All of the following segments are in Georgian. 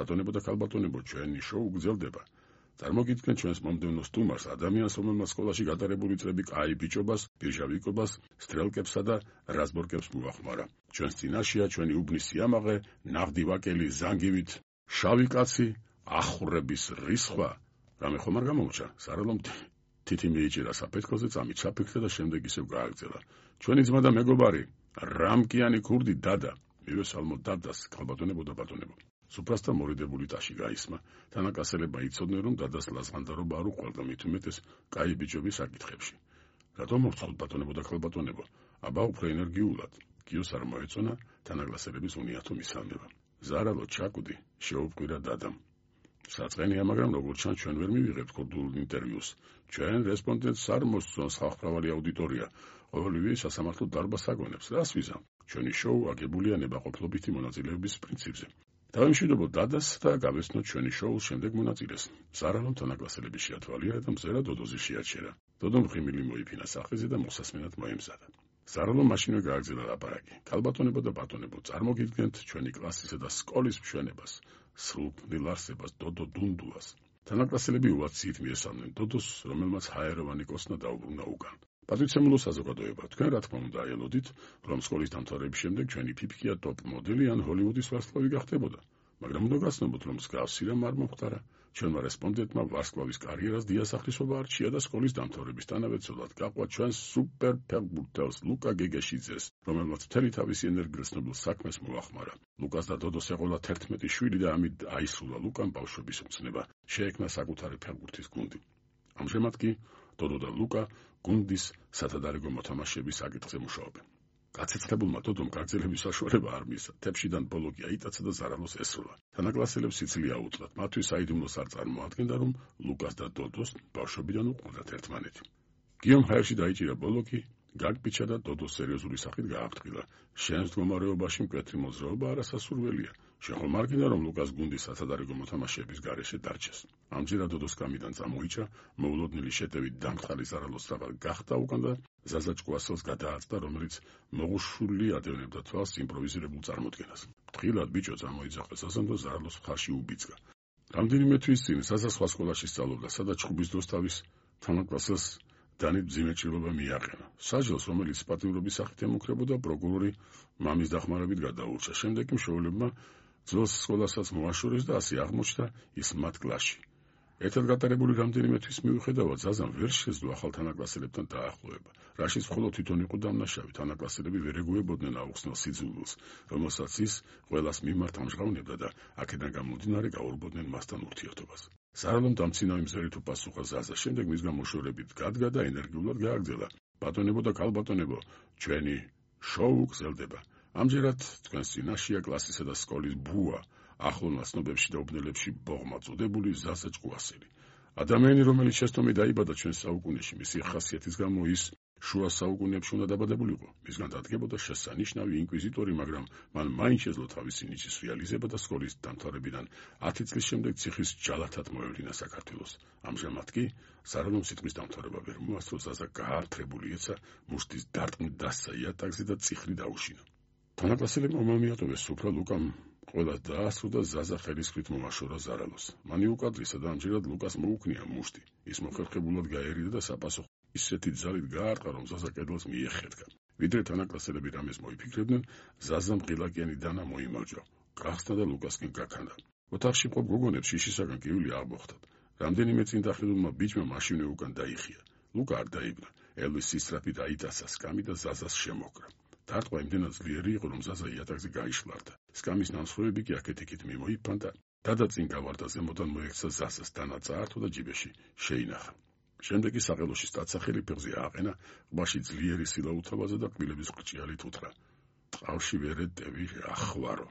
ბატონებო და ქალბატონებო, ჩვენი შოუ გრძელდება. წარმოგიდგენთ ჩვენს მომდევნო სტუმარს, ადამიანს, რომელმაც სკოლაში გატარებული წლები კაი ბიჭობას, ბირჟავიკობას, სტრელკებსა და რაზბორკებს მოახმარა. ჩვენს წინაშეა ჩვენი უბნის სიამაყე, ნაღდი ვაკელი, ზანგივით, შავი კაცი, ახურების რისხვა. რამე ხომ არ გამომრჩა? სარალომ თითი მიიჭირა საფეთქოზე, წამით ჩაფიქრა და შემდეგ ისევ გააგრძელა. ჩვენი ძმა და მეგობარი, რამკიანი ქურდი დადა. მივესალმო დადას, ქალბატონებო და ბატონებო. სუფრასთან მორიდებული ტაში გაისმა. თანაკლასელებმა იცოდნენ, რომ დადას ლაზღანდარობა არ უყვარდა, მით უმეტეს კაი ბიჭობის საკითხებში. რატომ მოვცხოთ ბატონებო და ქალბატონებო? აბა უფრო ენერგიულად. გიოს არ მოეწონა თანაკლასელების უნიათო მისალმება. ზარალო ჩაკვდი, შეუპყირა დადამ. საწყენია, მაგრამ როგორც ჩანს, ჩვენ ვერ მივიღებთ ქურდულ ინტერვიუს. ჩვენ რესპონდენტს არ მოსწონს ხალხმრავალი აუდიტორია. ყოველივე სასამართლო დარბას აგონებს. რას ვიზამ? ჩვენი შოუ აგებულია ნებაყოფლობითი მონაწილეობის პრინციპზე. დავიმშვიდობოთ დადას და გავესწროთ ჩვენი შოუს შემდეგ მონაწილეს. ზარალომ თანაკლასელები შეათვალიერა და მზერა დოდოზე შეაჩერა. დოდომ ღიმილი მოიფინა სახეზე და მოსასმენად მოემზადა. ზარალომ მაშინვე გააგრძელა ლაპარაკი. ქალბატონებო და ბატონებო, წარმოგიდგენთ ჩვენი კლასისა და სკოლის მშვენებას, სრულქმნილ არსებას, დოდო დუნდუას. თანაკლასელები უაცით მიესალმნენ დოდოს, რომელმაც ჰაეროვანი კოსნა დაუბრუნა უკან. პატრიცემულო საზოგადოება, თქვენ რა თქმა უნდა აელოდით, რომ სკოლის დამთავრების შემდეგ ჩვენი ფიფქია ტოპ მოდელი ან ჰოლივუდის ვარსკვლავი გახდებოდა. მაგრამ უნდა გაცნობოთ, რომ მსგავსი რამ არ მომხდარა. ჩვენმა რესპონდენტმა ვარსკვლავის კარიერას დიასახლისობა არჩია და სკოლის დამთავრებისთანავე ცოლად გაყვა ჩვენს სუპერ ფეხბურთელს ლუკა გეგეშიძეს, რომელმაც მთელი თავისი ენერგიით ცნობილ საქმეს მოახმარა. ლუკას და დოდოს ეყოლა 11 შვილი და ამით აისრულა ლუკამ ბავშვობის მცნება. შეექმნა საკუთარი ფეხბურთის გუნდი. ამჟამად კი დოდო და ლუკა გუნდის სათადარიგო მოთამაშეების საკითხზე მუშაობენ. გაცეცხლებულმა დოდომ გაგრძელების საშუალება არ მისცა. თეფშიდან ბოლოკი აიტაცა და ზარალოს ესროლა. თანაკლასელებს სიცილია უწლათ. მათთვის საიდუმლოს არ წარმოადგენდა, რომ ლუკას და დოდოს ბავშვობიდან უყვარდათ ერთმანეთი. გიომ ჰაერში დაიჭირა ბოლოკი, გაგპიჩა და დოდოს სერიოზული სახით გააფრთხილა. შენს მდგომარეობაში მკვეთრი მოძრაობა არასასურველია. შენ ხომ არ გინდა, რომ ლუკას გუნდის სათადარიგო მოთამაშეების გარეშე დარჩეს? ამჯერად დოდოს კამიდან წამოიჭრა, მოულოდნელი შეტევით დამხალი ზარალოს რაღაც გახდა უკან და ზაზა ჭკუასელს გადააწდა, რომელიც მოღუშული ადევნებდა თვალს იმპროვიზირებულ წარმოდგენას. ფრთხილად ბიჭო წამოიძახა ზაზამ და ზარალოს მხარში უბიძგა. რამდენიმე თვის წინ ზაზა სხვა სკოლაში სწავლობდა, სადაც ჩხუბის დროს თავის თანაკლასელს დანით მძიმე ჭრილობა მიაყენა. საჯელს, რომელიც პატიმრობის სახით ემუქრებოდა, პროკურორი მამის დახმარებით გადაურჩა. შემდეგ კი მშობლებმა ძველს სკოლასაც მოაშორეს და ასე აღმოჩნდა ის მათ კლასში. ერთად გატარებული რამდენიმე თვის მიუხედავად, ზაზამ ვერ შეძლო ახალ თანაკლასელებთან დაახლოება. რაშიც მხოლოდ თვითონ იყო დამნაშავე. თანაკლასელები ვერ ეგუებოდნენ აუხსნელ სიძულვილს, რომელსაც ის ყველას მიმართ ამჟღავნებდა და აქედან გამომდინარე გაურბოდნენ მასთან ურთიერთობას. ზარალომ დამცინავი მზერით უპასუხა ზაზა. შემდეგ მისგან მოშორებით გადგა და ენერგიულად გააგრძელა. ბატონებო და ქალბატონებო, ჩვენი შოუ გრძელდება. ამჯერად თქვენს წინაშეა კლასისა და სკოლის ბუა, ახლონა ცნობებში და უბნელებში ბოღმა წოდებული ზაზა ჭკუასელი. ადამიანი, რომელიც შესტომი დაიბადა ჩვენს საუკუნეში, მისი ხასიათის გამო ის შუა საუკუნეებში უნდა დაბადებულიყო. მისგან დადგებოდა შესანიშნავი ინკვიზიტორი, მაგრამ მან მაინც შეძლო თავისი ნიჭის რეალიზება და სკოლის დამთავრებიდან 10 წლის შემდეგ ციხის ჯალათად მოევლინა საქართველოს. ამჟამად კი ზარალომ სიტყვის დამთავრება ვერ მოასწრო, ზაზა გაართრებული ეცა, მუშტის დარტყმით დასცა იატაკზე და წიხრი დაუშინა. თანაკლასელებმა მომიატოვეს სუფრა ლუკამ ყველას დაასრულა და ზაზა ხელისქრით მომაშორა ზარალოს. მან იუკადრისა და ამჯერად ლუკას მოუქნია მუშტი. ის მოხერხებულად გაერიდა და საპასუხო ისეთი ძალით გაარტყა, რომ ზაზა კედელს მიეხეთქა. ვიდრე თანაკლასელები რამეს მოიფიქრებდნენ, ზაზამ ღილაკიანი დანა მოიმარჯვა. გახსნა და ლუკასკენ გაქანდა. ოთახში მყოფ გოგონებს შიშისაგან კივილი აღმოხდათ. რამდენიმე წინ დახილულმა ბიჭმა მაშინვე უკან დაიხია. ლუკა არ დაიბნა. ელვის სისწრაფით აიტაცა სკამი და ზაზას შემოკრა. დარტყმა იმდენად ძლიერი იყო, რომ ზაზა იატაკზე გაიშლარდა. სკამის ნამსხვრევები კი აქეთ-იქით მიმოიფანტა. დადა წინ გავარდა, ზემოდან მოექცა ზაზას, დანა წაართო და ჯიბეში შეინახა. შემდეგ კი საყელოში სტაცახელი ფეხზე ააყენა, ყბაში ძლიერი სილა უთაბაძა და კბილების ხრჭიალით უთხრა. წყალში ვერ ეტევი, ახვარო.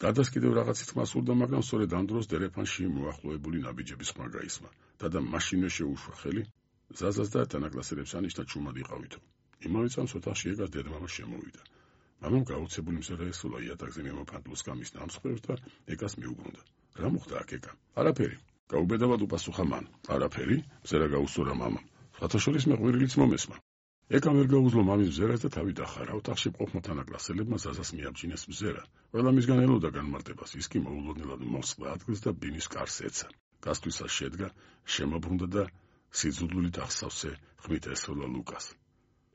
დადას კიდევ რაღაცით ხმა სურდა, მაგრამ სწორედ ამ დროს დერეფანში მოახლოებული ნაბიჯების ხმა გაისმა. დადა მაშინვე შეუშვა ხელი ზაზას და თანაკლასელებს ანიშნა ჩუმად იყავითო. იმავე წამს ოთახში ეგას დედმამა შემოვიდა. მამამ გაუცებული მზერა ესულა იატაკზე მიმოფანტულ სკამის ნამსხვრევს და ეგას მიუბრუნდა. რა მოხდა აქ ეკა? არაფერი. გაუბედავად უპასუხა მან. არაფერი? მზერა გაუსწორა მამამ. სხვათა შორის მეყვირილიც მომესმა. ეკამ ვერ გაუძლო მამის მზერას და თავი დახარა. ოთახში მყოფმა თანაკლასელებმა ზაზას მიაბჯინეს მზერა. ყველა მისგან ელოდა განმარტებას. ის კი მოულოდნელად მოსწყდა ადგილს და ბინის კარს ეცა. გასთვისას შედგა, შემობრუნდა და სიძულვილით ახსავსე ხმით ესროლა ლუკას.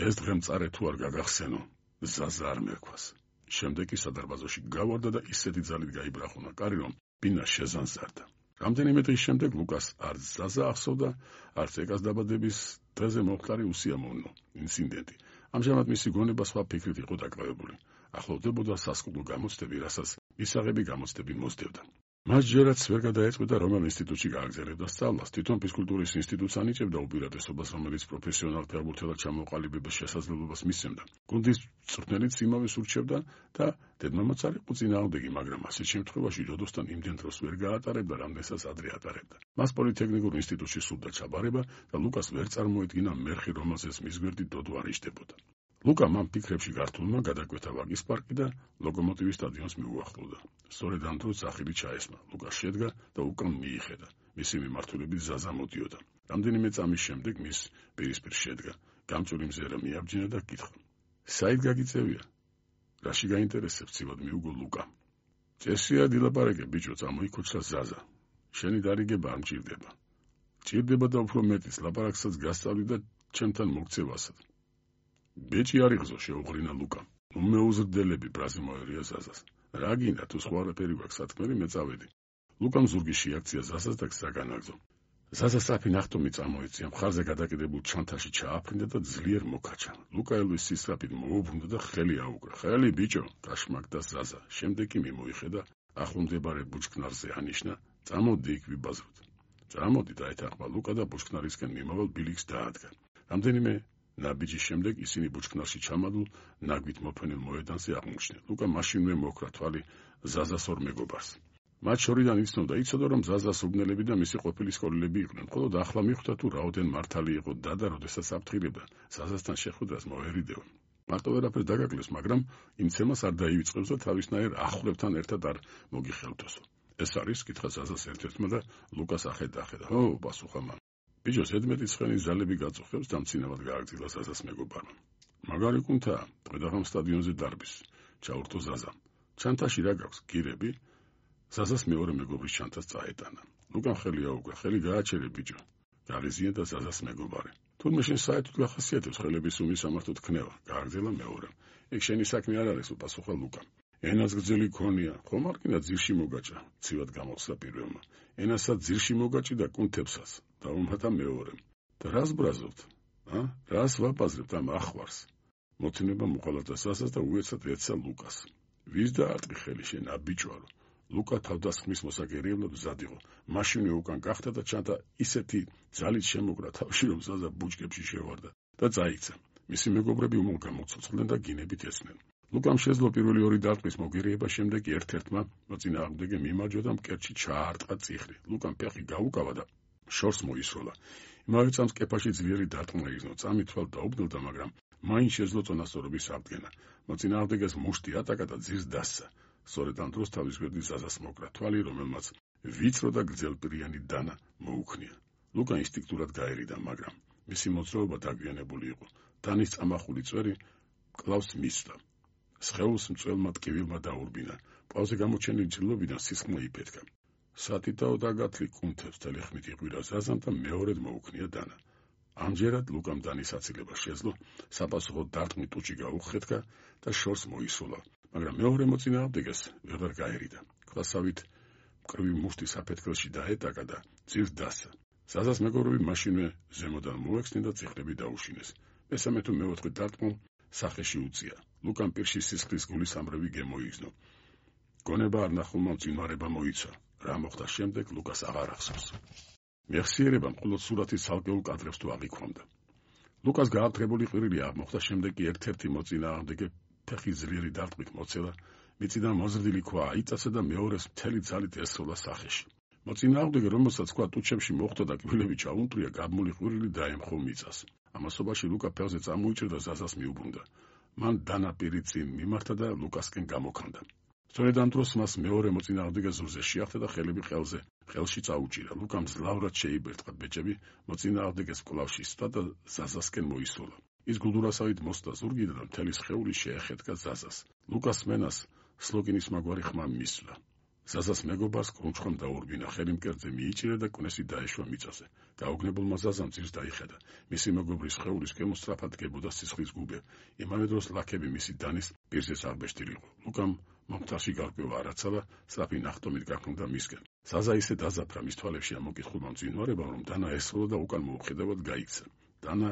ეს დღე მწარე თუ არ გაგახსენო, ზაზა არ მერქვას. შემდეგ კი სადარბაზოში გავარდა და ისეთი ძალით გაიბრახუნა კარი, რომ ბინა შეზანზარდა. რამდენიმე დღის შემდეგ ლუკას არც ზაზა ახსოვდა, არც ეკას დაბადების დღეზე მომხდარი უსიამოვნო ინციდენტი. ამჟამად მისი გონება სხვა ფიქრით იყო დაკავებული. ახლოვდებოდა სასკოლო გამოცდები, რასაც მისაღები გამოცდები მოსდევდა. მას ჯერაც ვერ გადაეწყვეტა რომელ ინსტიტუტში გააგზავნებდა სწავლას. თვითონ ფიზკულტურის ინსტიტუტს ანიჭებდა უპირატესობას, რომელიც პროფესიონალ ფეხბურთელად ჩამოყალიბების შესაძლებლობას მისცემდა. გუნდის მწვრთნელიც იმავეს ურჩევდა და დედმამაც არ იყო წინააღმდეგი, მაგრამ ასეთ შემთხვევაში ჯოდოსთან იმდენ დროს ვერ გაატარებდა, რამდენსაც ადრე ატარებდა. მას პოლიტექნიკურ ინსტიტუტში სურდა ჩაბარება და ლუკას ვერ წარმოედგინა მერხი, რომელზეც მის გვერდით დოდო არ იჯდებოდა. ლუკა მან ფიქრებში გართულმა გადაკვეთა ვაგის პარკი და ლოკომოტივის სტადიონს მიუახლოვდა. სწორედ ამ დროს სახილი ჩაესმა. ლუკა შედგა და უკან მიიხედა. მისი მიმართულებით ზაზა მოდიოდა. რამდენიმე წამის შემდეგ მის პირისპირ შედგა. გამჭვირი მზერა მიაბჯინა და კითხა: საით გაგიწევია? რაში გაინტერესებს? ცივად მიუგო ლუკა. წესია დილაპარაკე ბიჭო, წამოიქოჩა ზაზა. შენი დარიგება არ მჭირდება. ჭირდება და უფრო მეტიც, ლაპარაკსაც გასწავლი და ჩემთან მოგცევასად. ბეჭი არ იღზო, შეუღრინა ლუკა. უმეუზრდელები ბრაზი მოერია ზაზას. რა გინდა, თუ სხვა არაფერი გვაქვს სათქმელი, მე წავედი. ლუკამ ზურგი შეაქცია ზაზას და გზა განაგზო. ზაზა სწრაფი ნახტომი წამოეწია, მხარზე გადაკიდებულ ჩანთაში ჩააფრინდა და ძლიერ მოკაჩა. ლუკა ელვის სისწრაფით მოუბრუნდა და ხელი აუკრა. ხელი ბიჭო, გაშმაგდა ზაზა. შემდეგ კი მიმოიხედა, ახლომდებარე ბუჩქნარზე ანიშნა, წამოდი იქ ვიბაზროთ. წამოდი დაეთანხმა ლუკა და ბუჩქნარისკენ მიმავალ ბილიქს დაადგა. რამდენიმე ნაბიჯის შემდეგ ისინი ბუჩქნარში ჩამადულ ნაგვით მოფენილ მოედანზე აღმოჩნდნენ. ლუკა მაშინვე მოკრა თვალი ზაზას ორ მეგობარს. მათ შორიდან იცნობდა, იცოდა, რომ ზაზას უბნელები და მისი ყოფილი სკოლელები იყვნენ. მხოლოდ ახლა მიხვდა, თუ რაოდენ მართალი იყო და როდესაც აფრთხილებდა, ზაზასთან შეხვედრას მოერიდევა. მარტო ვერაფერს დაგაკლეს, მაგრამ იმცემას არ დაივიწყებს და თავისნაირ ახლობთან ერთად არ მოგიხელთოსო. ეს არის, კითხა ზაზას ერთ-ერთმა და ლუკას ახედა. "ო", პასუხა მან. ბიჭო, ზედმეტი ცხენის ძალები გაწუხებს და მცინავად გააგრძელა ზაზას მეგობარმა. მაგარი კუნთაა, დღედაღამ სტადიონზე დარბის, ჩაურთო ზაზა. ჩანთაში რა გაქვს, გირები? ზაზას მეორე მეგობრის ჩანთას წაეტანა. ლუკამ ხელი აუკრა, ხელი გააჩერე ბიჭო. გაღიზია და ზაზას მეგობარი. თურმე შენ საერთოდ გახასიათებს ხელების სუმის სამართოდ ქნევა, გააგრძელა მეორემ. ეგ შენი საქმე არ არის, უპასუხა ლუკამ. ენას გრძელი ქონია, ხომ არ კიდე ძირში მოგაჭა, ცივად გამოსცა პირველმა. ენასაც ძირში მოგაჭი და კუნთებსაც, დაუმატა მეორემ. და რას ბრაზობთ? რას ვაპაზრებთ ამ ახვარს? მოცემება მოყალატა ზაზას და უეცად ეცა ლუკას. ვის დაარტყი ხელი შენ, აბიჭვარო? ლუკა თავდასხმის მოსაგერიებლად მზად იყო. მაშინვე უკან გახდა და ჩანთა ისეთი ძალით შემოკრა თავში, რომ ზაზა ბუჩქებში შევარდა და წაიქცა. მისი მეგობრები უმალ გამოცოცხლდნენ და გინებით ესმენ. ლუკამ შეძლო პირველი ორი დარტყმის მოგერიება, შემდეგ ერთ-ერთმა მოწინააღმდეგე მიმარჯვა და მკერდში ჩაარტყა წიხრი. ლუკამ ფეხი გაუკავა და შორს მოისროლა. იმავე წამს კეფაში ძლიერი დარტყმა იგრძნო. წამით თვალ დაუბნელდა, მაგრამ მაინც შეძლო წონასწორობის აღდგენა. მოწინააღმდეგეს მუშტი ატაკა და ძირს დასცა. სწორედ ამ დროს თავის გვერდით ზაზას მოკრა თვალი, რომელმაც ვიწრო და გრძელპირიანი დანა მოუქნია. ლუკა ინსტინქტურად გაერიდა, მაგრამ მისი მოძრაობა დაგვიანებული იყო. დანის წამახული წვერი კლავს მისვლა. სხეულს მწველმა ტკივილმა დაურბინა. პლავზე გამოჩენილი ჭრილობიდან სისხლმა იფეთქა. სათითაო დაგათლი კუნთებს თელი ხმით იყვირა ზაზამ და მეორედ მოუქნია დანა. ამჯერად ლუკამ დანის აცილება შეძლო, საპასუხო დარტყმით ტუჩი გაუხეთქა და შორს მოისროლა. მაგრამ მეორე მოწინააღმდეგეს ვეღარ გაერიდა. ქვასავით მკრივი მუშტი საფეთქელში დაეტაკა და ძირს დასცა. ზაზას მეგობრები მაშინვე ზემოდან მოექცნენ და წიხლები დაუშინეს. მესამე თუ მეოთხე დარტყმამ სახეში უწია. ლუკამ პირში სისხლის გულისამრევი გემოიგზნო. გონება არ ნახულმა მძინვარება მოიცა. რა მოხდა შემდეგ, ლუკას აღარ ახსოვს. მეხსიერება მხოლოდ სურათის ცალკეულ კადრებს თუ აღიქვამდა. ლუკას გააფრთხებული ყვირილი აღმოხდა, შემდეგ კი ერთ-ერთი მოწინააღმდეგე ფეხი ძლიერი დარტყმით მოცელა, მიწიდან მოზრდილი ქვა აიწაცა და მეორეს მთელი ძალით ესროლა სახეში. მოწინააღმდეგე, რომელსაც ქვა ტუჩებში მოხვდა და კბილები ჩაუნტრია, გაბმული ყვირილი დაემხო მიწას. ამასობაში ლუკა ფეხზე წამოიჭრა და ზაზას მიუბრუნდა. მან დანაპირი წინ მიმართა და ლუკასკენ გამოქანდა. სწორედ ამ დროს მას მეორე მოწინააღმდეგე ზურზე შეახდა და ხელები ხელში წაუჭირა. ლუკამ ძლავრად შეიბერტყა ბეჭები, მოწინააღმდეგეს კვლავ ისვლა და ზაზასკენ მოისროლა. ის გულდურასავით მოსდა ზურგიდან და მთელი სხეული შეეხეთკა ზაზას. ლუკას მენას სლოგინის მაგვარი ხმა მისვლა. ზაზას მეგობარს კრუნჩხამ დაურბინა, ხელი მკერდზე მიიჭირა და კვნესი დაეშვა მიწაზე. გაუგნებულმა ზაზამ ძირს დაიხედა. მისი მეგობრის სხეულის კემო სწრაფად დგებოდა სისხლის გუბე. იმავე დროს ლაქები მისი დანის პირზეც აღბეჭდილიყო. ლუკამ მომთაში გარკვევა არაცალა, სწრაფი ნახტომით გაქნდა მისკენ. ზაზა ისე დაზაფრა მის თვალებში ამოკითხულმა მძინვარებამ, რომ დანა ესროლა და უკან მოუხედავად გაიქცა. დანა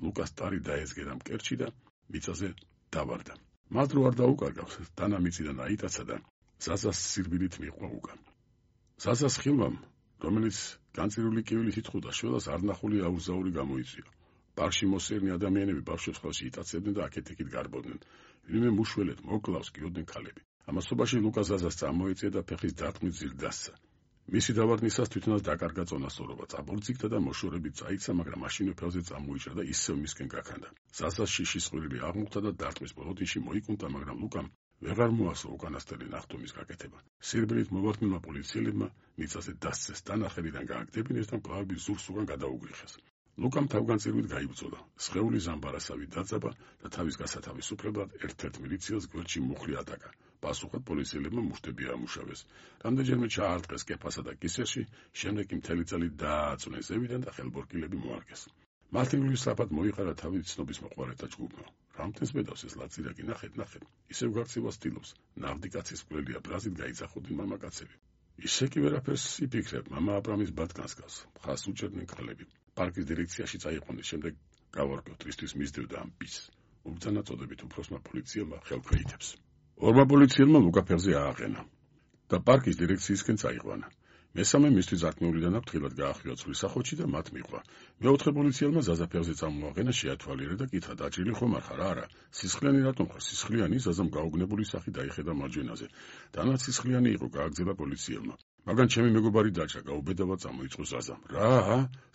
ლუკას ტარი დაეზგერა მკერდში და მიწაზე დავარდა. მას დრო არ დაუკარგავს, დანა მიწიდან აიტაცა და ზაზას სირბილით მიჰყვა უკან. ზაზას ხილვამ, რომელიც განწირული კივილით ითხოვდა შველას, არნახული აუზაური გამოიწვია. პარკში მოსერნი ადამიანები ბავშვებს ხელში იტაცებდნენ და აქეთ-იქით გარბოდნენ. ვინმე მუშველეთ მოკლავს გიოდნენ ქალები. ამასობაში ლუკა ზაზას წამოეწია და ფეხის დარტყმით ძირ დასცა. მისი დავარდნისას თვითონაც დაკარგა წონასწორობა, წაბორძიგდა და მოშორებით წაიცა, მაგრამ მაშინვე ფეხზე წამოიჭრა და ისევ მისკენ გაქანდა. ზაზას შიშის ყვირილი აღმოხდა და დარტყმის ბოლოდიში მოიკუნდა, მაგრამ ლუკამ ვეღარ მოასწრო უკანასკნელი ნახტომის გაკეთება. სირბილით მოვარდნილმა პოლიციელებმა მიწაზე დასცეს, დანახებიდან გააგდებინეს და მკლავების ზურს უკან გადაუგრიხეს. ლუკამ თავგანწირვით გაიბრძოლა. სხეული ზამბარასავით დაძაბა და თავის გასათავისუფლებლად ერთ-ერთ მილიციელს გვერდში მუხლი ატაკა. პასუხად პოლიციელებმა მუშტები ამუშავეს. რამდენჯერმე ჩაარტყეს კეფასა და კისერში, შემდეგ კი მთელი წელი დააწუნეს ზევიდან და ხელბორკილები მოარგეს. მართლმსაჯულში სწრაფად მოიყარა თავის ცნობის მოყვარეთა ჯგუფმა. რამდენს მედავს ეს ლაწირაკი, ნახეთ, ისევ გარცევას ცდილობს. ნავდი კაცის მკვლელია, ბრაზით გაიძახოდნენ მამაკაცები. ისე კი ვერაფერს იფიქრებ, მამა აბრამის ბატკანს გავს, მხას უჭერდნენ ქალები. პარკის დირექციაში წაიყვანეს, შემდეგ გავარკვევთ, რისთვის მისდევდა ამ პისს. უბრძანა წოდებით უფროსმა პოლიციელმა ხელქვეითებს. ორმა პოლიციელმა ლუკა ფეხზე ააყენა და პარკის დირექციისკენ წაიყვანა. მესამე მისთვის ზარქმეულიდან აფრთხილად გაახვია ცვლის სახოჩი და მათ მიჰყვა. მეოთხე პოლიციელმა ზაზა ფეხზე წამოაყენა, შეათვალიერა და კითხა, დაჭრილი ხომ არ ხარ? არა. სისხლიანი რატომ ხარ? სისხლიანი? ზაზამ გაუგნებული სახი დაიხედა მარჯვენაზე. დანაც სისხლიანი იყო, გააგრძელა პოლიციელმა. მაგრამ ჩემი მეგობარი დაჭრა, გაუბედავად წამოიწყო ზაზამ. რა?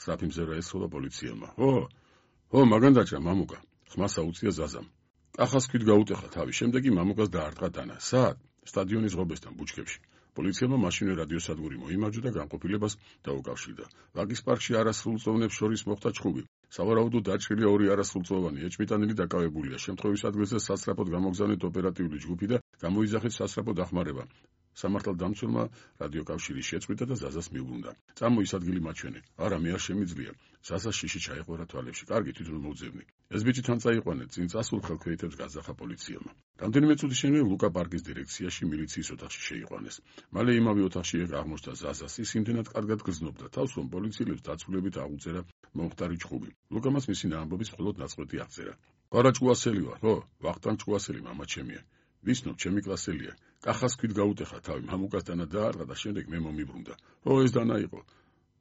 სწრაფი მზერა ესროლა პოლიციელმა. ო, მაგან დაჭრა, მამუკა. ხმას აუწია ზაზამ. კახას ქვით გაუტეხა თავი, შემდეგ კი მამუკას დაარტყა დანა. სად? სტადიონის ღობესთან, ბუჩქებში. პოლიციელმა მაშინვე რადიოსადგური მოიმარჯვა და განყოფილებას დაუკავშირდა. ვაკის პარკში არასრულწლოვანებს შორის მოხდა ჩხუბი. სავარაუდოდ დაჭრილია ორი არასრულწლოვანი ეჭვმიტანილი დაკავებულია. შემთხვევის ადგილზე სასწრაფოდ გამოგზავნეთ ოპერატიული ჯგუფი და გამოიძახეთ სასწრაფო დახმარება. სამართალდამცველმა რადიოკავშირი შეწყვიტა და ზაზას მიუბრუნდა. წამოის ადგილი მაჩვენე. არა, მე არ შემიძლია. ზაზას შიში ჩაეყვარა თვალებში. კარგი, თვითონ მოვძებნი. ეს ბიჭი თან წაიყვანეთ, წინ წასულ ხელქვეითებს გაზახა პოლიციელმა. რამდენიმე წუთის შემდეგ ლუკა პარკის დირექციაში მილიციის ოთახში შეიყვანეს. მალე იმავე ოთახში აღმოჩნდა ზაზას. ის იმდენად კარგად გრძნობდა თავს, რომ პოლიციელებს დაცულებით აღუწერა მომხდარი ჩხუბი. ლუკამაც მისი ნაამბობის მხოლოდ ნაწყვეტი აღწერა. არა ჭკუასელი ვარ, ხო, ვახტანგ ჭკუასელი, მამა ჩემია. ვიცნობ, ჩემი კლასელია. კახას ქვით გაუტეხა თავი, მამუკას დანა დაარტყა და შემდეგ მე მომიბრუნდა. ეს დანა იყო.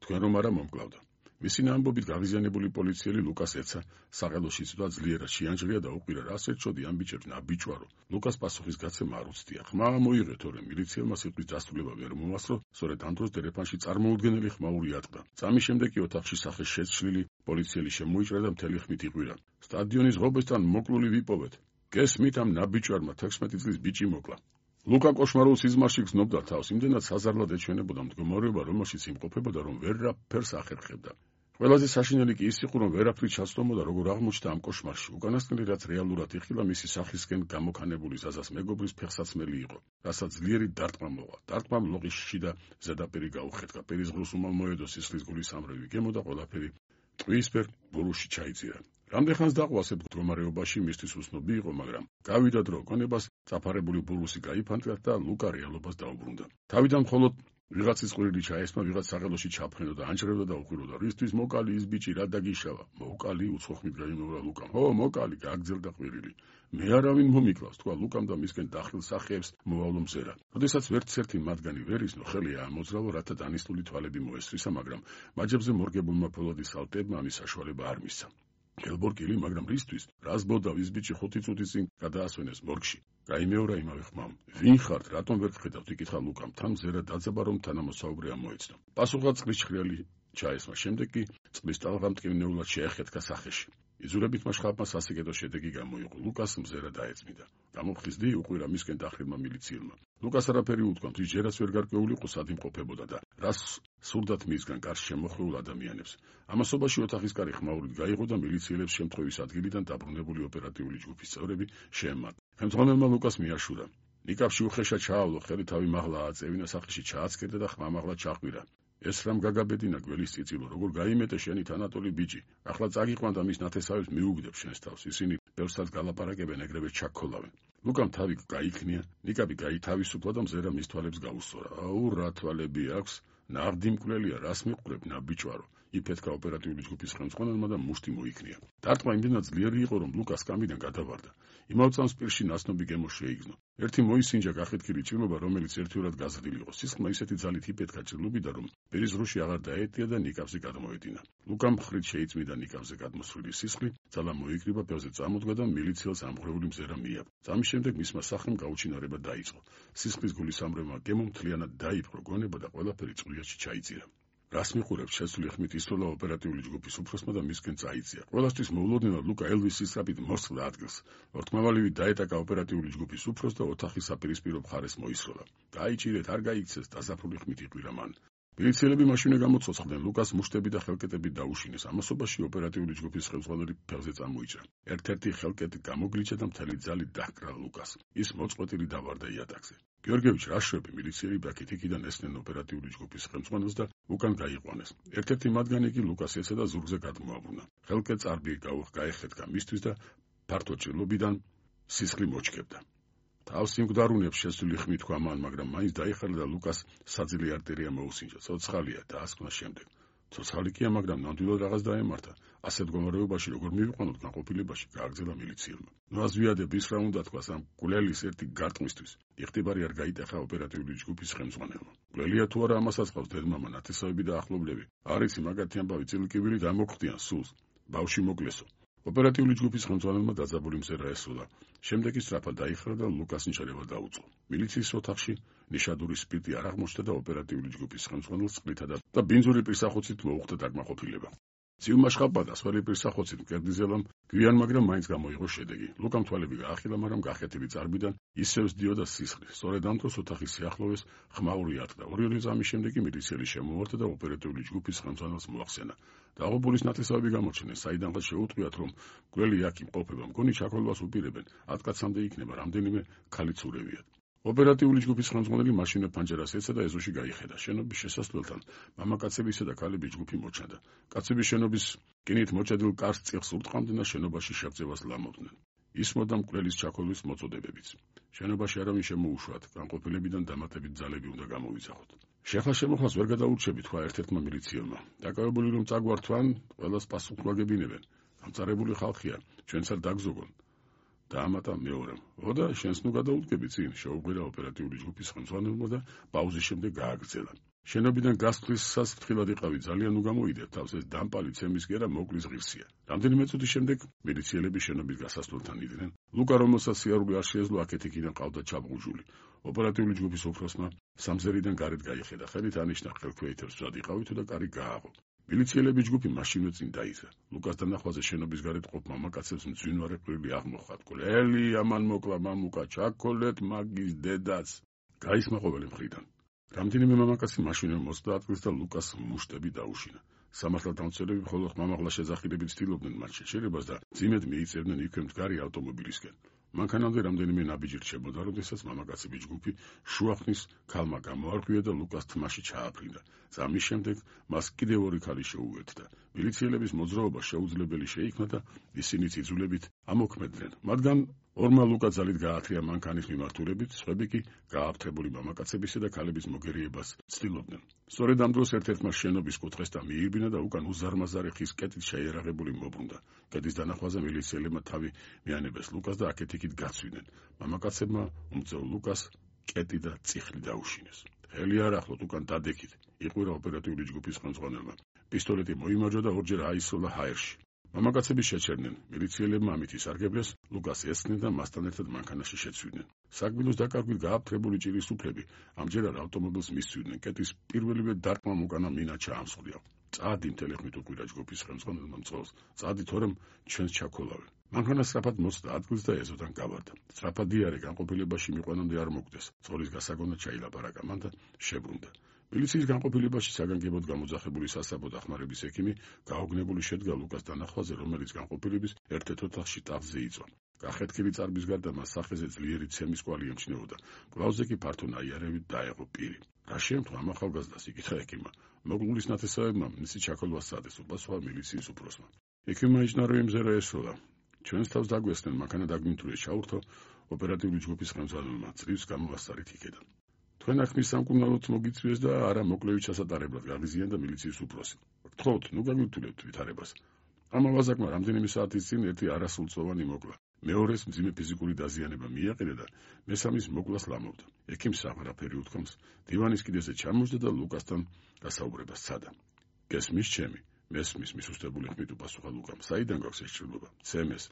თქვენ რომ არა მომკლავდა. მისი ნაამბობით გავიზიანებული პოლიციელი ლუკას ეცა, საყელოში ცვლა ძლიერად შეანჯღრია და უყვირა, რას ეწოდი ამ ბიჭებს, ნაბიჯვარო. ლუკას პასუხის გაცემა არ უცდია. ხმა მოიღე, თორემ მილიციელმა სიტყვის დასრულება ვერ მოასწრო, სწორედ ამ დროს დერეფანში წარმოუდგენელი ხმაური ატყდა. წამის შემდეგ კი ოთახში სახეს შეცვლილი პოლიციელი შემოიჭრა და მთელი ხმით იყვირა. სტადიონის ღობესთან მოკლული ვიპოვეთ. გესმით, ამ ნაბიჯვარმა 16 წლის ბიჭი მოკლა. ლუკა კოშმარულ სიზმარში გრძნობდა თავს, იმდენად საზარლად ეჩვენებოდა მდგომარეობა, რომელშიც იმყოფებოდა, რომ ვერაფერს ახერხებდა. ყველაზე საშინელი კი ის იყო, რომ ვერაფრით ჩასწომოდა, როგორ აღმოჩნდა ამ კოშმარში. უკანასკნელი, რაც რეალურად იხილა, მისი სახისკენ გამოქანებული ზაზას მეგობრის ფეხსაცმელი იყო, რასაც ძლიერი დარტყმა მოყვა. დარტყმამ ლოყის შიდა ზედაპირი გაუხეთკა, პირის ღრუს უმალ მოედო სისხლის გულის ამრევი გემო და ყველაფერი ტყვიისფერ ბურუში ჩაიძირა. რამდენხანს დაყვა ასეთ მდგომარეობაში მისთვის უცნობი იყო, მაგრამ გავიდა დრო გონებას, წაფარებული ბურუსი გაიფანტა და ლუკა რეალობას დაუბრუნდა. თავიდან მხოლოდ ვიღაცის ყვირილი ჩაესმა, ვიღაც საღელოში ჩაფრენოდა, ანჭრევდა და უყვიროდა. რისთვის მოკალი ის ბიჭი, რა დაგიშავა? მოკალი, უცხოხმით გაიმეორა ლუკამ. მოკალი, გააგრძელდა ყვირილი. მე არავინ მომიკლავს, თქვა ლუკამ და მისკენ დახილ სახეებს მოავლო მზერა. როდესაც ვერცერთი მათგანი ვერ იზნო, ხელი აამოძრავო, რათა დანისტული თვალები მოესწრისა, მაგრამ მაჯებზე მორგებულმა ფოლადის სალტებმა ამის საშუალება არ მისცა. ხელბორკილი, მაგრამ რისთვის? რას ბოდავ, ის ბიჭი 5 წუთის წინ გადაასვენეს მორგში. გაიმეორა იმავე ხმამ. ვინ ხართ, რატომ ვერ გხედავთ? იკითხა ლუკამ. თან მზერა დაძაბა, რომ თანამოსაუბრე ამოეცნო. პასუხად წყლის ჩხრიალი ჩაესმა, შემდეგ კი წყლის ტალღა მტკივნეულად შეეხეთკა სახეში. იზურებით მაშხალმა სასიკეთო შედეგი გამოიღო. ლუკას მზერა დაეწმიდა. გამოფხიზდი უყვირა მისკენ დახრილმა მილიციელმა. ლუკას არაფერი უთქვა, ის ჯერაც ვერ გარკვეულიყო სად იმყოფებოდა და რას სურდათ მისგან კარს შემოხვეულ ადამიანებს. ამასობაში ოთახის კარი ხმაურით გაიღო და მილიციელებს შემთხვევის ადგილიდან დაბრუნებული ოპერატიული ჯგუფის წევრები შეემატა. ხელმძღვანელმა ლუკას მიაშურა. ნიკაპში უხეშა ჩაავლო, ხელი თავი მაღლა აწევინა, სახეში ჩააცქერდა და ხმამაღლა ჩაყვირა. ეს რამ გაგაბედინა გველის წიწილო, როგორ გაიმეტე შენი თანატოლი ბიჭი. ახლა წაგიყვან და მის ნათესავებს მიუგდებ შენს თავს. ისინი ბევრსაც გალაპარაკებენ, ეგრევე ჩაქოლავენ. ლუკამ თავი გაიქნია, ნიკაპი გაითავისუფლა და მზერა მის თვალებს გაუსწორა. აუ, რა თვალები აქვს? ნაღდი მკვლელია, რას მიყვრებ, ნაბიჯვარო. იფეთქა ოპერატიული ჯგუფის ხელმძღვანელმა და მუშტი მოიქნია. დარტყმა იმდენად ძლიერი იყო, რომ ლუკას კამიდან გადავარდა. იმავე წამს პირში ნაცნობი გემო შეიგზნო. ერთი მოისინჯა გახეთქილი ჭრილობა, რომელიც ერთიურად გაზრდილი იყო. სისხლმა ისეთი ძალით იფეთქა ჭრილობიდან, რომ პირის ღრუში აღარ დაეტია და ნიკაპზე გადმოედინა. ლუკამ მხრით შეიწმიდა ნიკაპზე გადმოსვლილი სისხლი, ძალა მოიკრიბა, ბევრზე წამოდგა და მილიციელს ამღვრეული მზერა მიაბ. ამის შემდეგ მისმა სახლმა გაუჩინარება დაიწყო. სისხლის გულის ამრევმა გემო მთლიანად დაიპყრო გონება და ყველაფერი წყვილიაში ჩაიწირა. რას მიყურებთ შეცვლილი ხმით ისროლა ოპერატიული ჯგუფის უფროსმა და მისკენ წაიწია. ყველასთვის მოულოდნელად ლუკა ელვისის სწრაფით მოსწრდა ადგილს. ორთმავალივით დაეტაკა ოპერატიული ჯგუფის უფროსს და ოთახის საპირისპირო მხარეს მოისროლა. გაიჭირეთ, არ გაიქცეს, დაზაფრული ხმით იყვირა მან. მილიციელები მაშინვე გამოცოცხლდნენ, ლუკას მუშტები და ხელკეტები დაუშინეს. ამასობაში ოპერატიული ჯგუფის ხელმძღვანელი ფეხზე წამოიჭრა. ერთ-ერთი ხელკეტი გამოგლიჩა და მთელი ძალით დაჰკრა ლუკას. ის მოწყვეტილი დავარდა იატაკზე. გიორგევიჩ რაშრები მილიციელი ბაქეთიკიდან ესნენ ოპერატიული ჯგუფის ხელმძღვანელს და უკან გაიყვანეს. ერთ-ერთი მათგანი კი ლუკას ეცა და ზურგზე გადმოაბრუნა. ხელკეტს არბი გაეხეთქა მისთვის და ფართო ჭრილობიდან სისხლი მოჩქებდა. თავს იმგვდარუნებს შეცვლილი ხმით თქვა მან, მაგრამ მაინც დაიხარა და ლუკას საძილე არტერია მოუსინჯა. ცოცხალია და ასკვნა შემდეგ. ცოცხალი კია, მაგრამ ნამდვილად რაღაც დაემართა. ასეთ მდგომარეობაში როგორ მივიყვანოთ განყოფილებაში, გააგრძელა მილიციელმა. ნუ აზვიადებ ის რა უნდა თქვას ამ გულელის ერთი გარტყმისთვის. იხტიბარი არ გაიტეხა ოპერატიული ჯგუფის ხელმძღვანელმა. გულელია თუ არა ამასაც ყავს დედმამა, ნათესავები და ახლობლები. არიცი მაგათი ამბავი წილკივილი დამოგხდიან სულს. ბავში მოკლესო. ოპერატიული ჯგუფის ხელმძღვანელმა დაძაბული მზერა ესროლა. შემდეგ ის სწრაფად დაიხრა და ლუკას ნიჩარება დაუწყო. მილიციის ოთახში ნიშადური სპირტი არ აღმოჩნდა და ოპერატიული ჯგუფის ხელმძღვანელს წყლითა და ბინძური პირსახოცით მოუხდა დაგმაყოფილება. ციუმაშხაპა და სხველი პირსახოცით მკერდიზელამ გვიან, მაგრამ მაინც გამოიღო შედეგი. ლუკამ თვალები გაახილა, მაგრამ გახეთილი წარბიდან ისევ სდიოდა სისხლი. სწორედ ამ დროს ოთახის სიახლოვეს ხმაური ატყდა. ორი წამის შემდეგ მილიციელი შემოვარდა და ოპერატიული ჯგუფის ხელმძღვანელს მოახსენა. დაღუპულის ნათესავები გამოჩნდნენ, საიდანღაც შეუწყვიათ, რომ გველი აქ იმყოფება, მგონი ჩაქოლვას უპირებენ. 10 კაცამდე იქნება, რამდენიმე ქალიც ურევიათ. ოპერატიული ჯგუფის ხელმძღვანელი მაშინვე ფანჯარას ეცა და ეზოში გაიხედა. შენობის შესასვლელთან მამაკაცებისა და ქალების ჯგუფი მოჩანდა. კაცები შენობის რკინით მოჭედილ კარს წიხს ურტყამდნენ და შენობაში შევწევას ლამობდნენ. ისმოდა მკვლელის ჩაქოლვის მოწოდებებიც. შენობაში არავინ შემოუშვათ, განყოფილებიდან დამატებით ძალები უნდა გამოვიძახოთ. შეხლა-შემოხლას ვერ გადაურჩები, თქვა ერთ-ერთმა მილიციელმა. დაკავებული რომ წაგვართვან, ყველას პასუხმაგებინებენ. გამწარებული ხალხია, ჩვენც არ დაგზოგონ. დაამატა მეორემ. ოდა შენს ნუ გადაუდგები წინ, შეუღირა ოპერატიული ჯგუფის ხელმძღვანელმა და პაუზის შემდეგ გააგრძელა. შენობიდან გასვლისას ფრთხილად იყავი, ძალიან უგამოიდეთ თავს, ეს დამპალი ცემის გერა მოკლის ღირსია. რამდენიმე წუთის შემდეგ მილიციელები შენობის გასასვლელთან იდნენ. ლუკა, რომელსაც სიარული არ შეეძლო, აქეთ-იქიდან ყავდა ჩაბღუჟული. ოპერატიული ჯგუფის უფროსმა სამზერიდან გარეთ გაიხედა, ხელით ანიშნა ხელქვეითებს ვზად იყავითო და კარი გააღო. მილიციელების ჯგუფი მაშინვე წინ დაიძრა. ლუკას დანახვაზე შენობის გარეთ ყოფ მამაკაცებს მძვინვარე ყვირილი აღმოხდა. გლელი ამან მოკლა მამუკა, ჩაქოლეთ მაგის დედაც. გაისმა ყოველი მხრიდან. რამდენიმე მამაკაცი მაშინვე მოსწდა ადგილს და ლუკას მუშტები დაუშინა. სამართალდამცველები მხოლოდ ხმამაღლა შეძახილებით ცდილობდნენ მათ შეჩერებას და ძიმედ მიიწევდნენ იქვე მდგარი ავტომობილისკენ. მანქანამდე რამდენიმე ნაბიჯი რჩებოდა, როდესაც მამაკაცების ჯგუფი შუახნის ქალმა გამოარღვია და ლუკას თმაში ჩააფრინდა. ამის შემდეგ მას კიდევ ორი ქალი შეუერთდა. მილიციელების მოძრაობა შეუძლებელი შეიქმნა და ისინიც იძულებით ამოქმედნენ. მათგან ორმა ლუკა ძალით გაათრია მანქანის მიმართულებით, სხვები კი გააფთრებული მამაკაცებისა და ქალების მოგერიებას ცდილობდნენ. სწორედ ამ დროს ერთ-ერთმა შენობის კუთხესთან მიირბინა და უკან უზარმაზარი ხის კეტით შეიარაღებული მობრუნდა. კეტის დანახვაზე მილიციელებმა თავი მიანებეს ლუკას და აქეთ-იქით გაცვიდნენ. მამაკაცებმა უმწევ ლუკას კეტი და წიხლი დაუშინეს. ხელი არ ახლოთ, უკან დადექით, იყვირა ოპერატიული ჯგუფის ხელმძღვანელმა. პისტოლეტი მოიმარჯვა და ორჯერ აისროლა ჰაერში. მამაკაცები შეჩერდნენ. მილიციელებმა ამით ისარგებლეს, ლუკას ესხდნენ და მასთან ერთად მანქანაში შეცვიდნენ. საგბილოს დაკარგვით გააფთრებული ჭირის უფლები ამჯერად ავტომობილს მისცვიდნენ. კეტის პირველივე დარტყმამ უკანა მინა ჩაამსხვრია. წადი მთელი ხმით უკვირა ჯგუფის ხელმძღვანელმა მწყობს, წადი თორემ ჩვენს ჩაქოლავე. მანქანა სწრაფად მოწდა ადგილს და ეზოდან გავარდა. სწრაფად იარე განყოფილებაში მიყვანამდე არ მოგდეს. წყლის გასაგონად ჩაილაპარაკა მან და შებრუნდა. მილიციის განყოფილებაში საგანგებოდ გამოძახებული სასაბო დახმარების ექიმი გაოგნებული შედგა ლუკას დანახვაზე, რომელიც განყოფილების ერთ-ერთ ოთახში ტახტზე იწვა. გახეთქილი წარბის გარდა მას სახეზე ძლიერი ცემის კვალი ემჩნეოდა. კლავზე კი ფართო ნაიარევით დაეღო პირი. რა შემთხვევა ამ ახალგაზრდას იკითხა ექიმმა. მოგლულის ნათესავებმა მისი ჩაქოლვა სცადეს, უპასუხა მილიციის უფროსმა. ექიმმა იჩნა რომ იმზერა ესროლა. ჩვენს თავს დაგვესწნენ, მანქანა დაგვიმტვრიეს, ჩაურთო ოპერატიული ჯგუფის ხელმძღვანელმა, წრივის გამოვასწარით იქედან. თქვენ ახმის სამკურნალოდ მოგიწვიეს და არა მოკლევით ჩასატარებლად გაღიზიან და მილიციის უფროსი. გთხოვთ, ნუ გაგვირთულებთ ვითარებას. ამ ავაზაკმა რამდენიმე საათის წინ ერთი არასრულწლოვანი მოკლა. მეორეს მძიმე ფიზიკური დაზიანება მიაყენა და მესამის მოკლას ლამობდა. ექიმს აღარაფერი უთქვამს, დივანის კიდეზე ჩამოჯდა და ლუკასთან გასაუბრებას სცადა. გესმის ჩემი? მესმის, მისუსტებული ხმით უპასუხა ლუკამ. საიდან გაქვს ეს ჭრილობა? ცემეს.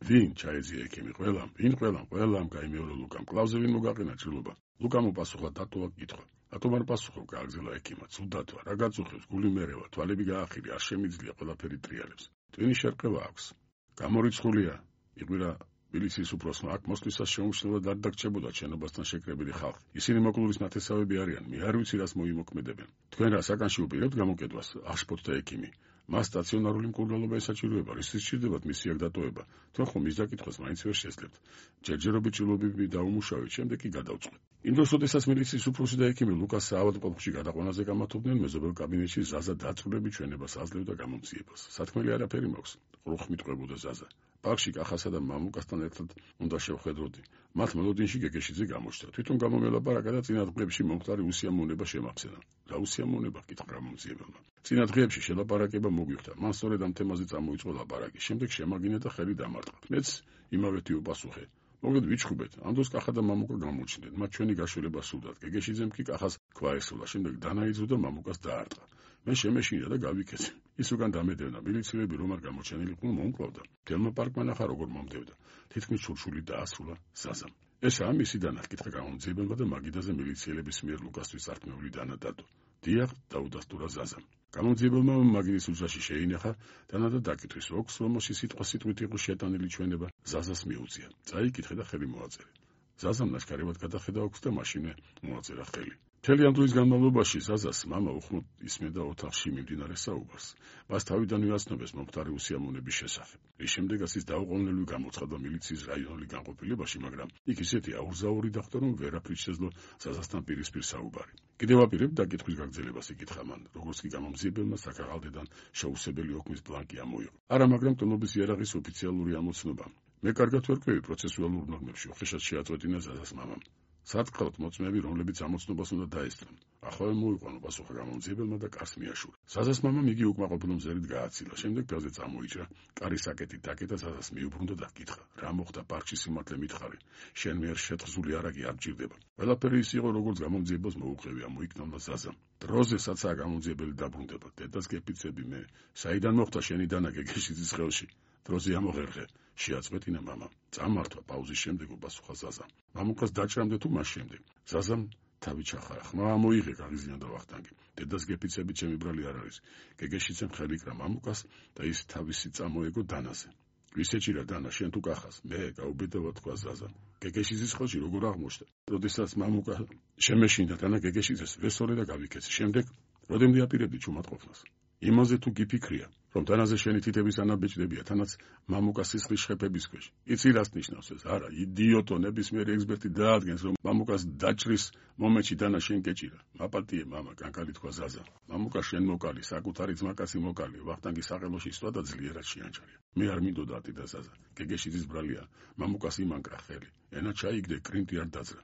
ვინ? ჩაეძია ექიმი. ყველამ. ვინ ყველამ? ყველამ, გაიმეორა ლუკამ. კლავზე ვინ მოგაყენა ჭრილობა? ლუკამ უპასუხა დატოვა კითხვა. რატომ არ პასუხობ? გააგზავნა ექიმმა. ცუდათვა, რა გაწუხებს? გული მერევა, თვალები გაახირი, არ შემიძლია, ყველაფერი ტრიალებს. ტვინი შერყევა აქვს. გამორიცხულია. იყვირა მილიციის უფროსმა, აქ მოსვლისას შეუმჩნევლად არ დაგჭებოდა შენობასთან შეკრებილი ხალხი. ისინი მოკლულის ნათესავები არიან, მე არ ვიცი რას მოიმოქმედებენ. თქვენ რა საკანში უპირებთ გამოკეთებას? აღშფოთდა ექიმი. მას სტაციონარული მკურნალობა ესაჭიროება, რის სჭირდებათ მისი აქ დატოვება. თქვენ ხომ მის დაკითხვას მაინც ვერ შეძლებთ. ჯერჯერობით ჭრილობები დაუმუშავეთ, შემდეგ კი გადავწყვეტ. იმ დროს, როდესაც მილიციის უფროსი და ექიმი ლუკას საავადმყოფოში გადაყვანაზე გამართობდნენ, მეზობელ კაბინეტში ზაზა დაწვრილებით ჩვენებას აძლევდა გამომძიებას. სათქმელი არაფერი მაქვს, ყრუხმით ყვებოდა ზაზა. ბაღში კახასა და მამუკასთან ერთად უნდა შევხედროდი. მათ მელოდინში გეგეშიძე გამოჩნდა. თვითონ გამომელაპარაკა და წინა დღეებში მომხდარი უსიამოვნება შემახსენა. რა უსიამოვნება? კითხა გამომძიებელმა. წინა დღეებში შელაპარაკება მოგვიხდა. მან სწორედ ამ თემაზე წამოიწყო ლაპარაკი. შემდეგ შემაგინა და ხელი დამარტყა. მეც იმავეთი უპასუხე. მოგეთ ვიჩხუბეთ. ამ დროს კახა და მამუკა გამოჩნდნენ. მათ ჩვენი გაშველება სურდათ. გეგეშიძემ კი კახას ქვა ესროლა. შემდეგ დანაიძო და მამუკას დაარტყა. მე შემეშინა და გავიქეცე. ის უკან დამედევნა. მილიციელები რომ არ გამოჩენილიყვნენ, მომკლავდა. თელმა პარკმა ნახა როგორ მომდევდა. თითქმის შურშული დაასრულა ზაზამ. ესაა მისი დანა, კითხა გამომძიებელმა და მაგიდაზე მილიციელების მიერ ლუკასთვის ართმეული დანა დადო. დიახ, დაუდასტურა ზაზამ. გამომძიებელმა მაგიდის უძრაში შეინახა დანა და დაკითხვის, ოქს რომელში სიტყვით იყო შეტანილი ჩვენება, ზაზას მიუწია. წაიკითხე და ხელი მოაწერე. ზაზამ ნაშკარებად გადახედა ოქს და მაშინვე მოაწერა ხელი. მთელი ამ დროის განმავლობაში ზაზას მამა უხმოდ ისმენდა ოთახში მიმდინარე საუბარს. მას თავიდანვე აცნობეს მომხდარი უსიამოვნების შესახებ. რის შემდეგაც ის დაუყოვნებლივ გამოცხადდა მილიციის რაიონული განყოფილებაში, მაგრამ იქ ისეთი აურზაური დახვდა, რომ ვერაფრით შეძლო ზაზასთან პირისპირ საუბარი. კიდევ აპირებ დაკითხვის გაგრძელებას, იკითხა მან, როგორც კი გამომძიებელმა საქაღალდედან შეუსებელი ოქმის ბლანკი ამოიღო. არა, მაგრამ ტონობის იარაღის ოფიციალური ამოცნობა. მე კარგად ვერკვევი პროცესუალურ ნორმებში, უხეშად შეაწყვეტინა ზაზას მამამ. სათქალოდ მოწმეები, რომლებიც ამოცნობას უნდა დაესწრონ. ახლა მოიყვანო, პასუხა გამომძიებელმა და კარს მიაშურა. ზაზას მამამ იგი უკმაყოფილო მზერით გააცილა. შემდეგ ფელზე წამოიჭრა, კარის საკეტით დაკეტა, ზაზას მიუბრუნდა და კითხა: რა მოხდა პარკში, სიმართლე მითხარი? შენ მიერ შეთხზული არაგი არ გჭირდება. ყველაფერი ის იყო, როგორც გამომძიებელს მოუყევია, მოიქნევდა ზაზამ. დროზე საცაა გამომძიებელი დაბრუნდება. დედას გეფიცები მე. საიდან მოხდა შენი დანა გეგეშიძის ხელში? დროზე ამოღერღე. შეაწყვეტინა მამამ. წამართვა პაუზის შემდეგ უპასუხა ზაზამ. მამუკას დაჭრამდე თუ მას შემდეგ? ზაზამ თავი ჩახარა. ხმა მოიღე, გაღიზიანდა ვახტანგი. დედას გეფიცები ჩემი ბრალი არ არის. გეგეშიძემ ხელი კრა მამუკას და ის თავისი წამოეგო დანაზე. ვისეჭირა დანა, შენ თუ კახას? მე, გაუბედავა, თქვა ზაზამ. გეგეშიძის ხელში როგორ აღმოჩნდა? როდესაც მამუკა შემეშინდა დანა გეგეშიძეს, ვესწორე და გავიქეცე. შემდეგ როდემდე აპირებდი ჩუმატყოფნას? იმაზე თუ გიფიქრია, რომ დანაზე შენი თითების ანაბეჭდებია, თანაც მამუკას სისხლის შეფების ქვეშ. იცი რას ნიშნავს ეს? არა, იდიოტო, ნებისმიერი ექსპერტი დაადგენს, რომ მამუკას დაჭრის მომენტში დანა შენ გეჭირა. მაპატიე მამა, კანკალი თქვა ზაზა. მამუკა შენ მოკალი, საკუთარი ძმაკაცი მოკალი, ვახტანგი საყელოში სვლა და ძლიერად შეანჩარია. მე არ მინდოდა ატირდა ზაზა. გეგეშიძის ბრალია, მამუკას იმანკრა ხელი. ენა ჩაიგდე, კრინტი არ დაძრა.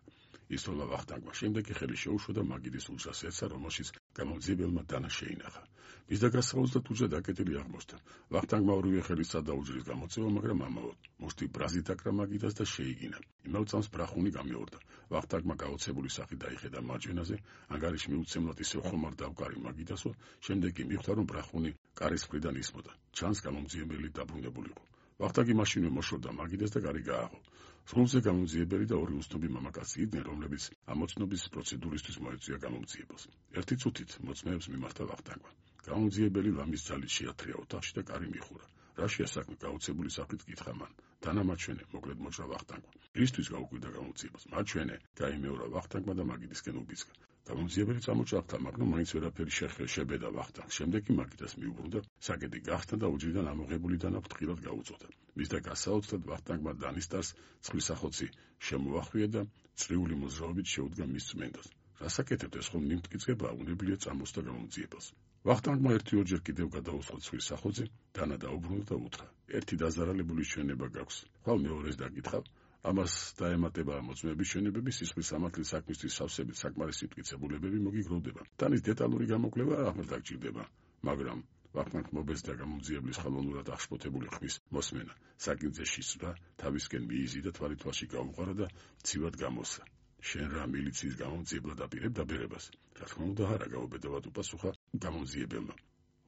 ისროლა ვახტანგმა. შემდეგ კი ხელი შეუშვა და მაგიდის უძრას ეცა, რომელშიც გამომძიებელმა დანა შეინახა. მის დაგასაუბრს და თუჯა დაკეტილი აღმოჩნდა. ვახტანგმა ორივე ხელის სადაუჯრის გამოწევა, მაგრამ ამაოდ. მოშტი ბრაზით აკრა მაგიდას და შეიგინა. იმავე წამს ბრახუნი გამეორდა. ვახტანგმა გაოცებული სახით დაიხედა მარჯვენაზე, ანგარიში მიუცემლად ისევ ხომარ დავკარი მაგიდასო, შემდეგ კი მიხვდა, რომ ბრახუნი კარის მხრიდან ისმოდა. ჩანს გამომძიებელი დაბრუნებულიყო. ვახტანგი მაშინვე მოშორდა მაგიდას და კარი გააღო. სრულზე გამომძიებელი და ორი უცნობი მამაკაცი იდნენ, რომლებიც ამოცნობის პროცედურისთვის მოეწია გამომძიებელს. ერთი წუთით მოწმეებს მიმართა ვახტანგმა. გამომძიებელი ლამის ძალით შეათრია ოთახში და კარი მიხურა. რაშია საქმე? გაუცებული საფრით კითხა მან. თანამარჩენე, მოკლედ მოჭრა ვახტანგმა. ისთვის გაუკვირდა გამომძიებას. მარჩვენე, გაიმეორა ვახტანგმა და მაგიდისკენ უბიძგა. გამომძიებელი წამოჭრახდა, მაგრამ მაინც ვერაფერი შებედა ვახტანგს. შემდეგ კი მაგიდას მიუბრუნდა, საკედი გახსნა და უჯრიდან ამოღებული დანა ფრთხილად გაუწოდა. მისდა გასაოცრად ვახტანგმა დანისტარს ცხვისახოცი შემოახვია და წრიული მოძრაობით შეუდგა მის წმენდას. რასაკეთებთ, ეს ხომ მიმტკიცება, უნებლიე წამოსდა გამომძიებელს. ვახტანგმა ერთი-ორჯერ კიდევ გადაუსხა ცხვისახოცი, დანა დაუბრუნდა და უთხრა: ერთი დაზარალებული ჩვენება გაქვს. ხვალ მეორეს დაგითხავ. ამას დაემატება მოწმეების ჩვენებები, სისხლის სამართლის საქმისთვის სავსებით საკმარისი მტკიცებულებები მოგიგროვდება. დანის დეტალური გამოკვლევა აღარ გჭირდება, მაგრამ ვახტანგ მობეცდა გამომძიებლის ხელოვნურად აღშფოთებული ხმის მოსმენა. საკინძზე შესვლა, თავისკენ მიიზიდა, თვალითვალში გაუყარა და ცივად გამოსცა. შენ რა მილიციის გამომძიებლად აპირებ დაბერებას? რა თქმა უნდა არა, გაუბედავად უპასუხა გამომძიებელმა.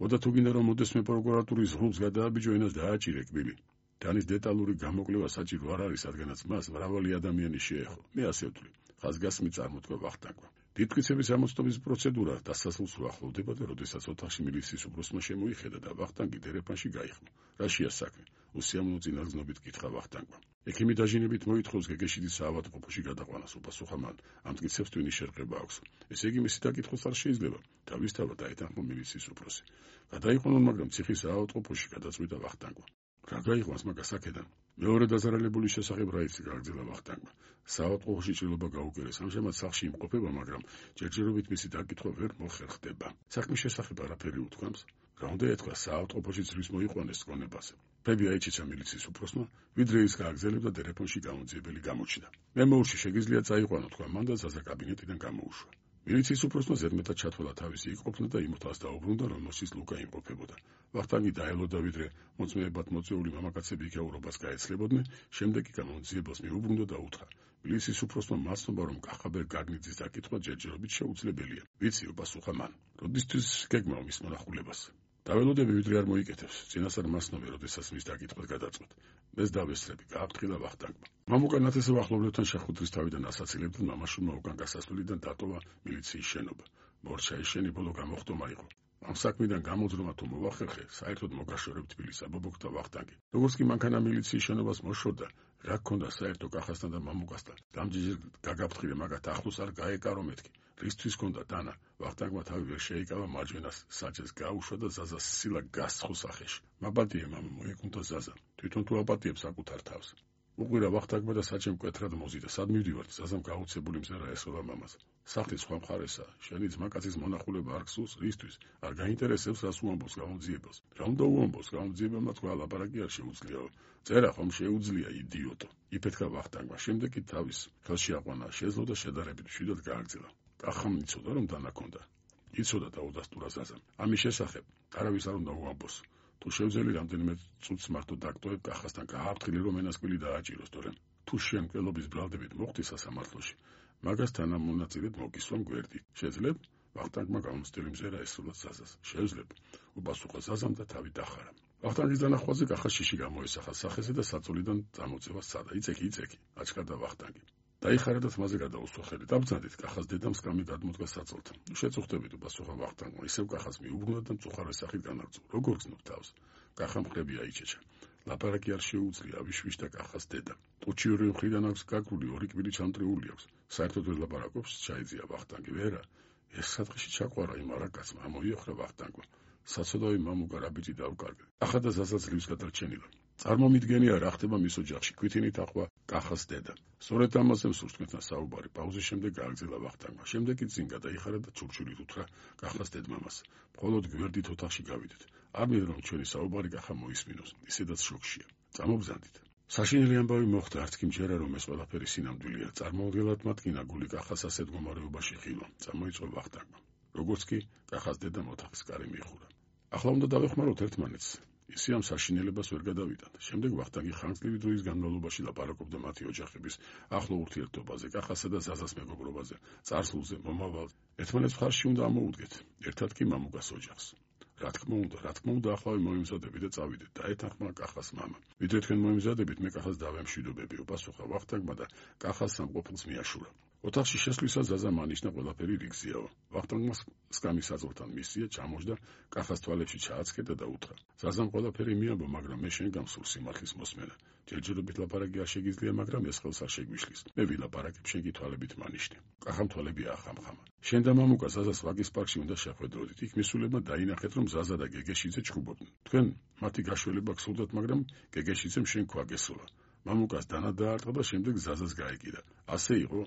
ოდა თუ გინდა რომ მოდესმე პროკურატურის ღრუბლს გადააბიჯო, ენას დააჭირე კბილი. დანის დეტალური გამოკვლევა საჭირო არ არის, რადგანაც მას მრავალი ადამიანი შეეხო. მე ასე ვთვლი, ხაზგასმით წარმოთქვა ვახტანგმა. დიდმტკიცების ამოწმების პროცედურა დასასრულს უახლოვდება და როდესაც ოთახში მილიციის უფროსმა შემოიხედა და ვახტანგი დერეფანში გაიხმო. რაშია საქმე? უსიამოვნო წინასწრობით კითხა ვახტანგმა. ექიმი დაჟინებით მოითხოვს გეგეშიძის საავადმყოფოში გადაყვანას, უპასუხა მან. ამ მტკიცებს ტვინის შერყება აქვს. ესე იგი მისი დაკითხვაც არ შეიძლება. თავისთავად დაეთანხმა მილიციის უფროსი. გადაიყვანონ, მაგრამ ციხის საავადმყოფოში გადაწყვიტა ვახტანგმა. რა გაიყვანს მაგას აქედან? მეორე დაზარალებულის შესახებ რა იცი? გააგრძელა ვახტანგმა. საავადმყოფოში ჭრილობა გაუკერეს. ამჟამად სახლში იმყოფება, მაგრამ ჯერჯერობით მისი დაკითხვა ვერ მოხერხდება. საქმის შესახებ არაფერი უთქვამს. რა უნდა ეთქვა, საავადმყოფოში ძვრის მოიყვანეს გონებაზე. ფები აიჩიცა მილიციის უფროსმა, ვიდრე ის გააგრძელებდა დერეფონში გამომძიებელი გამოჩნდა. მე მოუში შეგიძლია წაიყვანო, თქვა მან და ზაზა კაბინეტიდან გამოუშვა. მილიციის უფროსმა ზედმეტად ჩათვალა თავისი იქყოფნა და იმოთას დაუბრუნდა, რომელშიც ლუკა იმყოფებოდა. ვახტანგი დაელოდა, ვიდრე მოწმეებად მოწვეული მამაკაცები იქაურობას გაეცლებოდნენ, შემდეგ კი გამომძიებელს მიუბრუნდა და უთხრა. მილიციის უფროსმა მასნობა, რომ კახაბერ გაგნიძის დაკითხვა ჯერჯერობით შეუძლებელია. ვიცი, უპასუხა მან. როდისთვის გეგმავ მის მონახულებას? დაველოდები, ვიდრე არ მოიკეთებს. წინასწარ მასნობე, როდესაც მის დაკითხვას გადაწყვეტ. მეც დავესწრები, გააფრთხილა ვახტანგმა. მამუკა ნათესავ ახლობლებთან შეხვედრის თავიდან ასაცილებდნენ, მამაშვილმა უკან გასასვლელიდან დატოვა მილიციის შენობა. მორჩა ეშენი ბოლო გამოხტომა იყო. ამ საქმიდან გამოძრომა თუ მოვახერხე, საერთოდ მოგაშორებ თბილისს, აბობოქდა ვახტანგი. როგორც კი მანქანა მილიციის შენობას მოშორდა, რა გქონდა საერთო კახასთან და მამუკასთან. დამჯერჯერ გაგაფრთხილე, მაგათ ახლოს არ გაეკარო მეთქი. რისთვის გქონდა დანა? ვახტანგმა თავი ვერ შეიკავა, მარჯვენას საჭეს გაუშვა და ზაზას სილა გასცხო სახეში. მაპატიე მამა, მოეკუნდა ზაზა. თვითონ თუ აპატიებს საკუთარ თავს. უყვირა ვახტანგმა და საჭემ მკვეთრად მოზიდა. სად მივდივართ? ზაზამ გაუცებული მზერა ესხება მამას. სახლის სხვა მხარესაა. შენი ძმაკაცის მონახულება არ გსურს? რისთვის? არ გაინტერესებს, რას უამბობს გამომძიებელს? რა უნდა უამბობს? გამომძიებელმა თქვა, ლაპარაკი არ შეუძლიაო. წერა ხომ შეუძლია, იდიოტო. იფეთქა ვახტანგმა. შემდეგ კი თავის ხელში აყვანა, შეძლო და შედარებით მშვიდად გააგრძელა. კახამ იცოდა, რომ დანა ქონდა. იცოდა და უდასტურა ზაზამ. ამის შესახებ არავის არ უნდა უამბოს. თუ შევძელი რამდენიმე წუთს მარტო დაგტოვებ კახასთან, გააფრთხილე, რომ ენასკვილი დააჭიროს, თორემ თუ შენ მკვლობის ბრალდებით მოხდი სასამართლოში, მაგას თანამონაწილედ მოგისვამ გვერდი. შეძლებ? ვახტანგმა გამოცდილი მზერა ესრულა ზაზას. შევძლებ, უპასუხა ზაზამ და თავი დახარა. ვახტანგის დანახვაზე კახა შიში გამოესახა სახეზე და საწოლიდან წამოწევა სცადა. იცექი, აჩქარდა ვახტანგი. დაიხარა და თმაზე გადაუსვა ხელი. დაბრძანდით, კახას დედამ სკამი გადმოდგა საწოლთან. შეწუხდებით, უპასუხა ვახტანგმა. ისევ კახას მიუბრუნდა და მწუხარე სახით განაგრძო. როგორ გზნობ თავს? კახა მხრები აიჩეჩა. ლაპარაკი არ შეუძლია, ავიშვიშ და კახას დედა. ტუჩი ორი მხრიდან აქვს გაგრული, ორი კბილი ჩამტრეული აქვს. საერთოდ ვერ ლაპარაკობს, ჩაიძია ვახტანგი. ვერა, ეს სათხეში ჩაყვარა იმ არაკაცმა, ამოიოხრა ვახტანგმა. საცოდავი მამუკა რა ბიჭი დავკარგე. კახა და ზაზა ძლივს გადარჩენილა. წარმომიდგენია რა ხდება მის ოჯახში, ქვითინით ახვა კახას დედა. სწორედ ამაზე მსურს თქვენთან საუბარი. პაუზის შემდეგ გააგრძელა ვახტანგმა. შემდეგ კი წინ გადაიხარა და ჩურჩულით უთხრა კახას დედმამას. მხოლოდ გვერდით ოთახში გავიდეთ. ამით რომ ჩვენი საუბარი კახა მოისმინოს, ისედაც შოქშია. წამობზანდით. საშინელი ამბავი მოხდა, არც კი მჯერა, რომ ეს ყველაფერი სინამდვილეა. წარმოუდგენლად მათკინა გული კახას ასეთ მდგომარეობაში ხილვა. წამოიწყო ვახტანგმა. როგორც კი კახას დედამ ოთახის კარი მიიხურა. ახლა უნდა დავეხმაროთ ერთმანეთს. ისი ამ საშინელებას ვერ გადავიტანთ. შემდეგ ვახტანგი ხანგრძლივი დროის განმავლობაში ლაპარაკობდა მათი ოჯახების ახლო ურთიერთობაზე, კახასა და ზაზას მეგობრობაზე, წარსულზე, მომავალზე. ერთმანეთს მხარში უნდა ამოუდგეთ, ერთად კი მამუკას ოჯახს. რა თქმა უნდა, ახლავე მოიმზადებით და წავიდეთ, დაეთანხმა კახას მამა. ვიდრე თქვენ მოიმზადებით, მე კახას დავემშვიდობები, უპასუხა ვახტანგმა და კახას სამყოფილს მიაშურა. ოთახში შესვლისას ზაზამ ანიშნა ყველაფერი რიგზიაო. ვახტანგმა სკამის აზრთან მისია, ჩამოჯდა, კახას თვალებში ჩააცქედა და უთხრა: ზაზამ ყველაფერი მიამბო, მაგრამ მე შენ გამსულ სიმართლის მოსმენა. ჯერჯერობით ლაპარაკი არ შეგიძლია, მაგრამ ეს ხელს არ შეგვიშლის. მე ვილაპარაკებ, შენ კი თვალებით მანიშნე. კახამ თვალები ახამხამა. შენ და მამუკა ზაზას ვაგის პარკში უნდა შეხვედროდით. იქ მისულებმა დაინახეთ, რომ ზაზა და გეგეშიძე ჩხუბობდნენ. თქვენ მათი გაშველება გსურდათ, მაგრამ გეგეშიძემ შენ ქვა გესულა. მამუკას დანა დაარტყა და შემდეგ ზაზას გაეკიდა. ასე იყო?